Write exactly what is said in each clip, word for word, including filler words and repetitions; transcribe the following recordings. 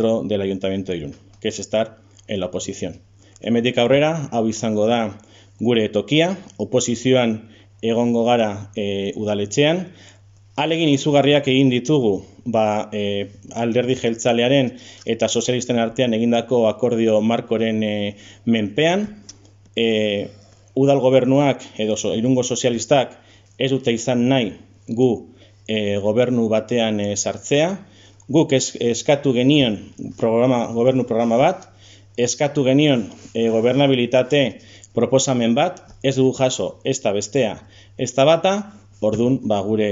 del Ayuntamiento de Irún, que es estar en la oposición. Hemendik aurrera, hau izango da gure tokia, oposizioan egongo gara e, udaletxean, alegin izugarriak egin ditugu ba, e, alderdi jeltzalearen eta sozialisten artean egindako akordio markoren e, menpean, e, udal gobernuak edo so, Irungo sozialistak ez dute izan nahi gu e, gobernu batean e, sartzea, guk es, eskatu genion programa, gobernu programa bat, eskatu genion e, gobernabilitate proposamen bat, ez dugu jaso ez da bestea, ez da bata, orduan ba, gure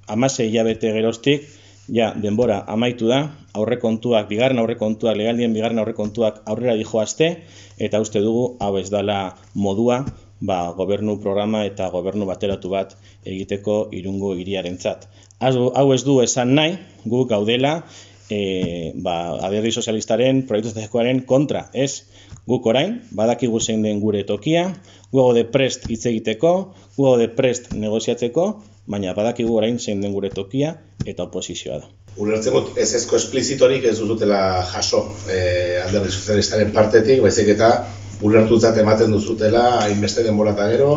hamasei hilabete geroztik, ja, denbora amaitu da, aurrekontuak, bigarren aurrekontuak, legaldien bigarren aurrekontuak aurrera dijoazte, eta uste dugu hau ez dala modua, ba, gobernu programa eta gobernu bateratu bat egiteko Irungo hiriarentzat. Hau ez du esan nahi, gu gaudela, e, ba, alderdi sozialistaren proiektu estrategikoaren kontra, ez? Guk orain, badakigu zein den gure tokia, gu gaude prest hitz egiteko, gu gaude prest negoziatzeko, baina badakigu orain zein den gure tokia eta oposizioa da. Ulertzen dut ez ezko esplizitorik ez duzutela jaso eh, alderdi sozialistaren partetik, baizik eta ulertutzat ematen duzutela hainbeste denbora eta gero,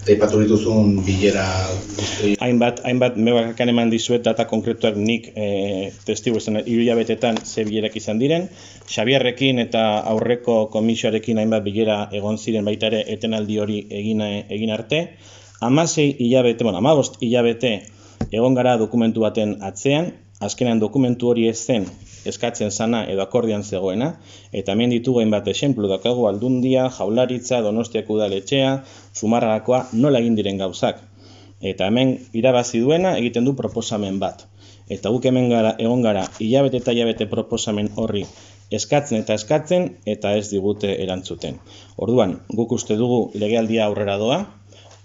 eta ipatu dituzun bilera guzti. Hainbat, hainbat mebakan eman dizuet data konkretuak nik e, testigu izan hiru hilabetetan ze bilerak izan diren. Xabierrekin eta aurreko komisioarekin hainbat bilera egon ziren baita ere etenaldi hori egin, egin arte. Hamasei hilabete, bueno, hamabost hilabete egon gara dokumentu baten atzean, azkenean dokumentu hori ez zen eskatzen zana edo akordian zegoena, eta hemen ditugu hainbat exemplu daukagu Aldundia, Jaurlaritza, Donostiako udaletxea, Zumarragakoa, nola egin diren gauzak. Eta hemen irabazi duena egiten du proposamen bat. Eta guk hemen gara, egon gara hilabete eta hilabete proposamen horri eskatzen eta eskatzen eta ez digute erantzuten. Orduan, guk uste dugu legealdia aurrera doa,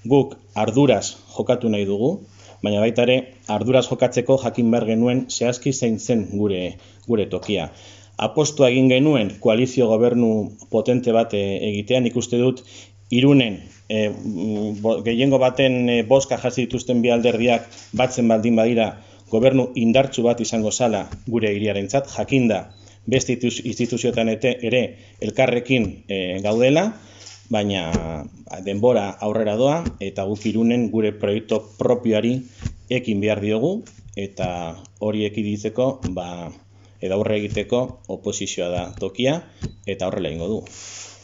guk arduraz jokatu nahi dugu, baina baita ere arduraz jokatzeko jakin behar genuen zehazki zein zen gure, gure tokia. Apostua egin genuen koalizio gobernu potente bat egitean, ikuste dut Irunen e, gehiengo baten e, boska jasi dituzten bi alderdiak batzen baldin badira gobernu indartsu bat izango zala gure hiriarentzat, jakinda beste instituzioetan ere elkarrekin e, gaudela, baina denbora aurrera doa eta guk Irunen gure proiektu propioari ekin behar diogu eta hori ekiditzeko ba, edo aurre egiteko oposizioa da tokia eta horrela egingo du.